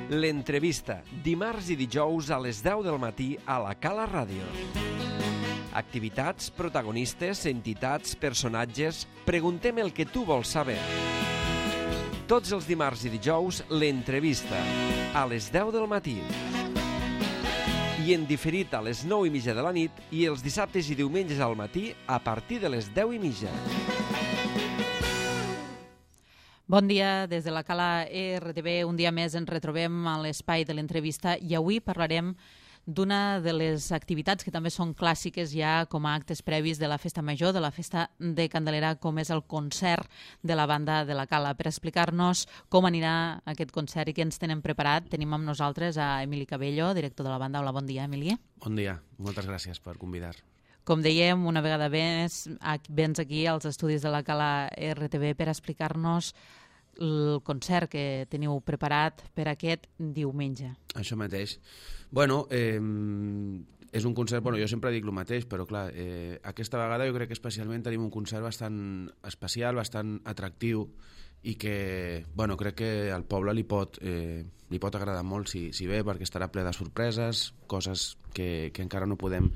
L'entrevista, dimarts i dijous a les 10 del matí a la Cala Ràdio. Activitats, protagonistes, entitats, personatges... Preguntem el que tu vols saber. Tots els dimarts i dijous, l'entrevista, a les 10 del matí. I en diferit a les 9:30 de la nit i els dissabtes i diumenges al matí a partir de les 10:30. Bon dia, des de la Cala RTV, un dia més ens retrobem a l'espai de l'entrevista i avui parlarem d'una de les activitats que també són clàssiques ja com a actes previs de la Festa Major, de la Festa de Candelera, com és el concert de la banda de la Cala. Per explicar-nos com anirà aquest concert i què ens tenen preparat, tenim amb nosaltres a Emili Cabello, director de la banda. Hola, bon dia, Emili. Bon dia, moltes gràcies per convidar. Com dèiem, una vegada més, vens aquí als estudis de la Cala RTV per explicar-nos el concert que teniu preparat per aquest diumenge. Això mateix. Bueno, és un concert, jo sempre dic el mateix, però clar, aquesta vegada jo crec que especialment tenim un concert bastant especial, bastant atractiu i que, crec que al poble li pot agradar molt si ve, perquè estarà ple de sorpreses, coses que encara no podem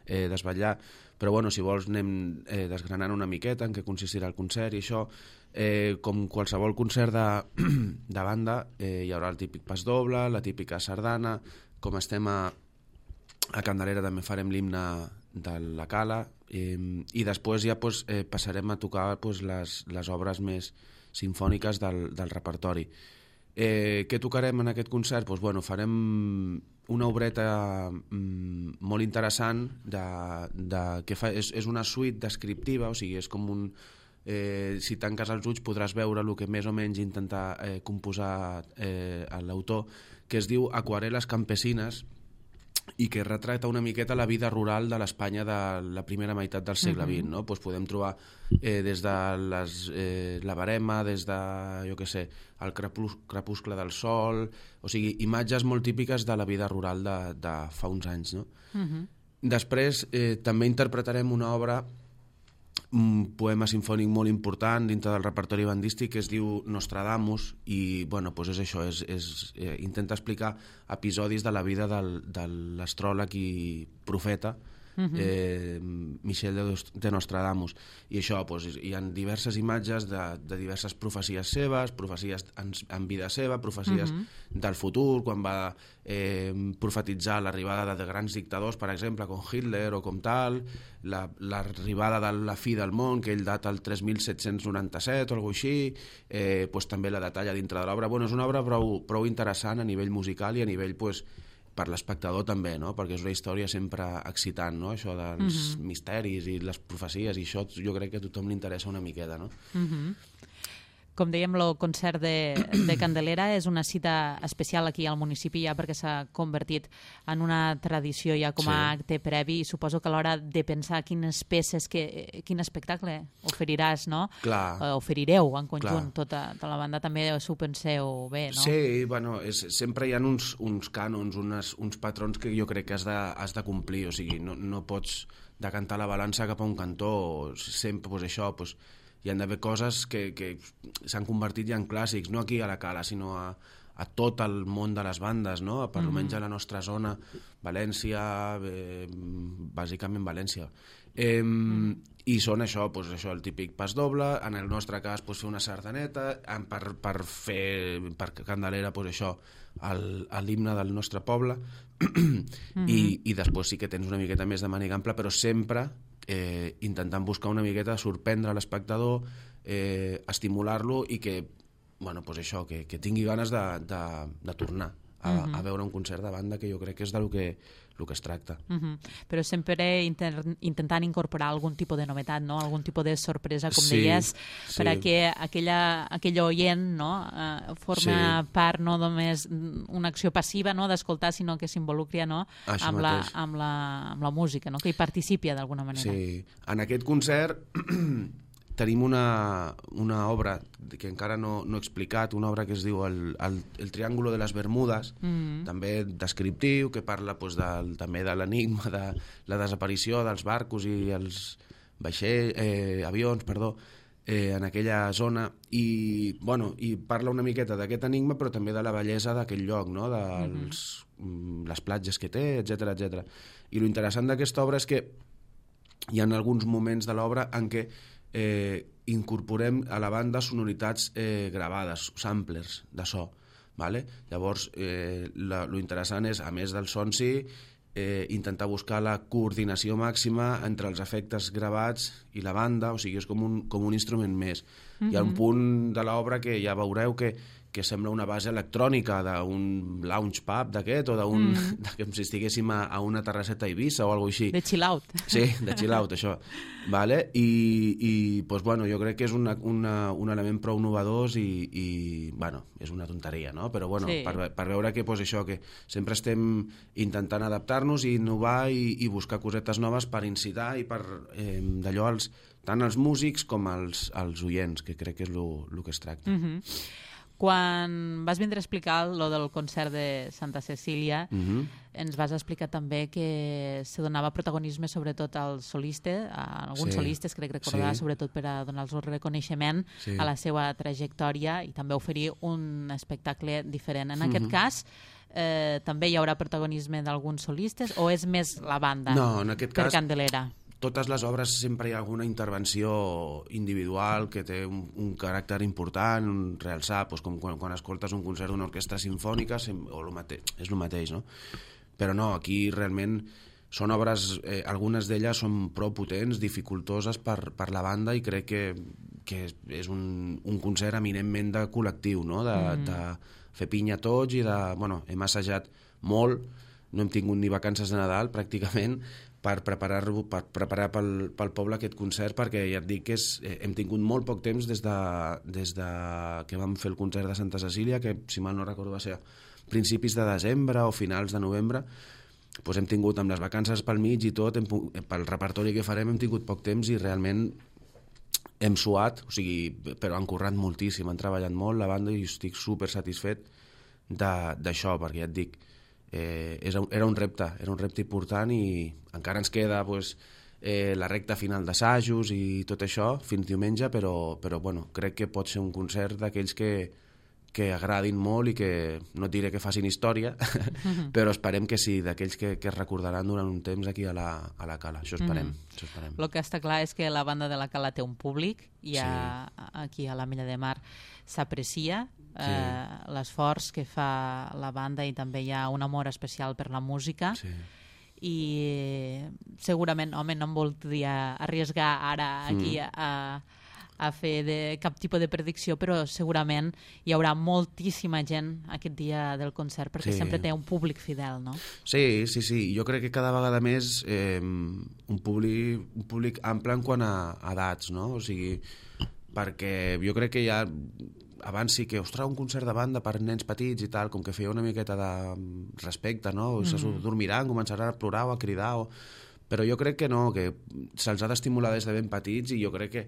desvetllar, però si vols anem desgranant una miqueta en què consistirà el concert i això. Com qualsevol concert de banda hi haurà el típic pas doble, la típica sardana. Com estem a Candelera també farem l'himne de la Cala i després ja passarem a tocar les obres més simfòniques del repertori. Què tocarem en aquest concert? Farem una obreta molt interessant que és una suite descriptiva, o sigui, és com un... si tanques els ulls podràs veure el que més o menys intenta composar l'autor, que es diu Aquarel·les campesines i que retrata una miqueta la vida rural de l'Espanya de la primera meitat del segle XX, no? Podem trobar des de la Verema, des de, el crepuscle del sol, o sigui, imatges molt típiques de la vida rural de fa uns anys, no? Després també interpretarem una obra, un poema sinfònic molt important dintre del repertori bandístic que es diu Nostradamus i és això, intenta explicar episodis de la vida de l'astròleg i profeta Michel de Nostradamus, i això hi ha diverses imatges de diverses profecies seves, profecies en vida seva, profecies del futur, quan va profetitzar l'arribada de grans dictadors, per exemple, com Hitler o com tal, l'arribada de la fi del món, que ell data el 3797 o alguna cosa així, també la detalla dintre de l'obra. És una obra prou interessant a nivell musical i a nivell per l'espectador també, no? Perquè és una història sempre excitant, no? Això dels misteris i les profecies, i això jo crec que a tothom li interessa una miqueta, no? Com dèiem, el concert de Candelera és una cita especial aquí al municipi ja perquè s'ha convertit en una tradició ja com a acte previ, i suposo que a l'hora de pensar quines peces, quin espectacle oferiràs, no? Clar. Oferireu en conjunt, tota la banda, també s'ho penseu bé, no? Sí, sempre hi ha uns cànons, uns patrons que jo crec que has de complir, o sigui, no pots decantar la balança cap a un cantó, sempre això, hi ha d'haver coses que s'han convertit ja en clàssics, no aquí a la Cala, sinó a tot el món de les bandes, no? Per almenys a la nostra zona, València, bàsicament València. I són això, el típic pas doble, en el nostre cas fer una sardaneta, per Candelera això, l'himne del nostre poble, i després sí que tens una miqueta més de màniga ampla, però sempre intentant buscar una miqueta sorprendre l'espectador, estimular-lo i que tingui ganes de tornar a veure un concert de banda, que jo crec que és del que es tracta. Però sempre intentant incorporar algun tipus de novetat, no? Algun tipus de sorpresa, com deies, perquè aquell oient forma part no només una acció passiva d'escoltar, sinó que s'involucri amb la música, que hi participi d'alguna manera. Sí, en aquest concert tenim una obra que encara no he explicat, una obra que es diu El Triángulo de les Bermudes, també descriptiu, que parla també de l'enigma de la desaparició dels barcos i els avions, en aquella zona i parla una miqueta d'aquest enigma però també de la bellesa d'aquell lloc, no? Les platges que té, etc. I lo interessant d'aquesta obra és que hi ha alguns moments de l'obra en què incorporem a la banda sonoritats gravades, samplers de so, vale? Llavors lo interessant és, a més del so en si, intentar buscar la coordinació màxima entre els efectes gravats i la banda, o sigui, és com un instrument més. Hi ha un punt de l'obra que ja veureu que sembla una base electrònica d'un lounge pub d'aquest o com si estiguéssim a una terrasseta a Eivissa o alguna cosa així. De chill out. Sí, de chill out, això. Vale? I pues, bueno, jo crec que és un element prou novedós i bueno, és una tonteria, no? Però bueno, sí. per veure que, pues, això, que sempre estem intentant adaptar-nos i innovar i buscar cosetes noves per incitar i per d'allò tant els músics com els oients, que crec que és el que es tracta. Quan vas vindre a explicar lo del concert de Santa Cecília, ens vas explicar també que se donava protagonisme sobretot als solistes, a alguns solistes, crec recordar, sobretot per a donar-los el reconeixement a la seva trajectòria i també oferir un espectacle diferent. En aquest cas, també hi haurà protagonisme d'alguns solistes o és més la banda? No, en aquest cas, per Candelera. Totes les obres sempre hi ha alguna intervenció individual que té un caràcter important, un realçar, doncs com quan escoltes un concert d'una orquestra sinfònica, és el mateix, no? Però no, aquí realment són obres, algunes d'elles són prou potents, dificultoses per la banda i crec que és un concert eminentment de col·lectiu, no? De fer pinya tots i bueno, hem assajat molt, no hem tingut ni vacances de Nadal pràcticament, per preparar pel poble aquest concert, perquè ja et dic que hem tingut molt poc temps des de que vam fer el concert de Santa Cecília, que si mal no recordo va ser a principis de desembre o finals de novembre, doncs hem tingut amb les vacances pel mig i tot, pel repertori que farem hem tingut poc temps i realment hem suat, o sigui, però han currat moltíssim, han treballat molt la banda i estic super satisfet d'això, perquè ja et dic, era un repte important i encara ens queda la recta final d'assajos i tot això fins diumenge, però bueno, crec que pot ser un concert d'aquells que agradin molt i que no et diré que facin història, però esperem que sí, d'aquells que es recordaran durant un temps aquí a la Cala, això esperem. El que està clar és que la banda de la Cala té un públic i aquí a l'Ametlla de Mar s'aprecia l'esforç que fa la banda i també hi ha un amor especial per la música i segurament, home, no em voldria arriesgar ara aquí a fer cap tipus de predicció, però segurament hi haurà moltíssima gent aquest dia del concert perquè sempre té un públic fidel, no? Sí, jo crec que cada vegada més un públic ample en quant a edats, no? O sigui, perquè jo crec que ja abans sí que, ostres, un concert de banda per nens petits i tal, com que feia una miqueta de respecte, no? Se dormiran, començaran a plorar o a cridar, però jo crec que no, que se'ls ha d'estimular des de ben petits i jo crec que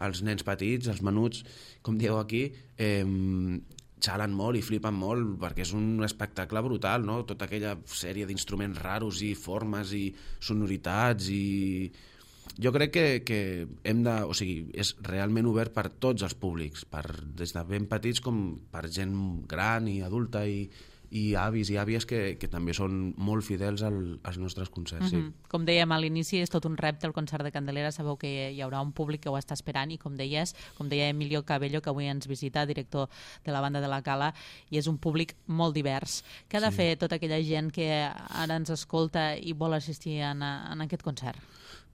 els nens petits, els menuts, com dieu aquí, xalen molt i flipen molt perquè és un espectacle brutal, no? Tota aquella sèrie d'instruments raros i formes i sonoritats i... Jo crec que hem de... O sigui, és realment obert per tots els públics, des de ben petits com per gent gran i adulta i avis i àvies que també són molt fidels als nostres concerts. Com dèiem a l'inici, és tot un repte el concert de Candelera, sabeu que hi haurà un públic que ho està esperant i com deia Emilio Cabello, que avui ens visita, director de la banda de la Cala, i és un públic molt divers. Què ha de fer tota aquella gent que ara ens escolta i vol assistir en aquest concert?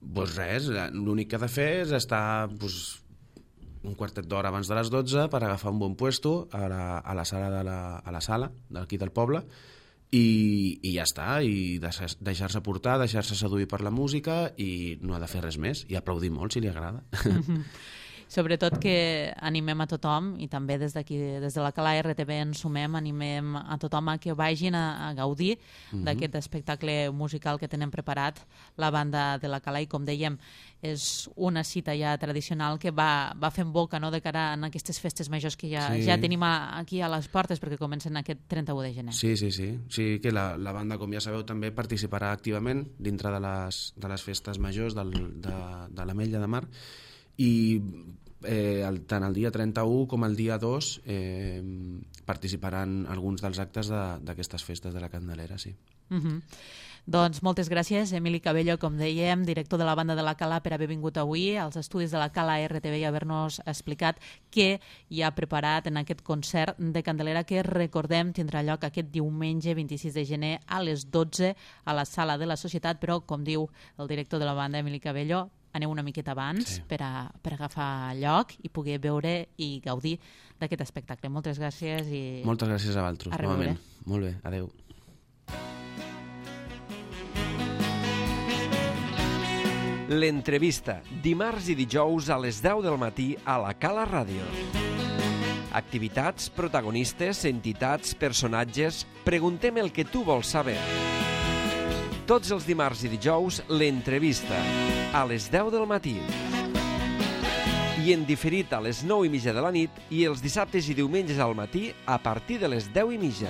Doncs res, l'únic que ha de fer és estar un quartet d'hora abans de les 12 per agafar un bon puesto a la sala d'aquí del poble i ja està, i deixar-se portar, deixar-se seduir per la música i no ha de fer res més, i aplaudir molt si li agrada. Sobretot que animem a tothom i també des d'aquí, des de la Cala RTV ens sumem, animem a tothom a que vagin a gaudir d'aquest espectacle musical que tenen preparat la banda de la Cala i com dèiem és una cita ja tradicional que va fent boca, no?, de cara a aquestes festes majors que ja tenim aquí a les portes perquè comencen aquest 31 de gener. Sí, que la banda, com ja sabeu, també participarà activament dintre de les festes majors de l'Ametlla de Mar i tant el dia 31 com el dia 2 participaran alguns dels actes d'aquestes festes de la Candelera, sí. Doncs moltes gràcies, Emili Cabello, com dèiem, director de la banda de la Cala, per haver vingut avui als estudis de la Cala RTV i haver-nos explicat què hi ha preparat en aquest concert de Candelera que, recordem, tindrà lloc aquest diumenge 26 de gener a les 12 a la Sala de la Societat, però, com diu el director de la banda, Emili Cabello, aneu una miqueta abans per agafar lloc i poder veure i gaudir d'aquest espectacle. Moltes gràcies i... Moltes gràcies a vosaltres, novament. Molt bé, adeu. L'entrevista, dimarts i dijous a les 10 del matí a la Cala Ràdio. Activitats, protagonistes, entitats, personatges... Preguntem el que tu vols saber. Tots els dimarts i dijous, l'entrevista, a les 10 del matí. I en diferit a les 9:30 de la nit i els dissabtes i diumenges al matí a partir de les 10:30.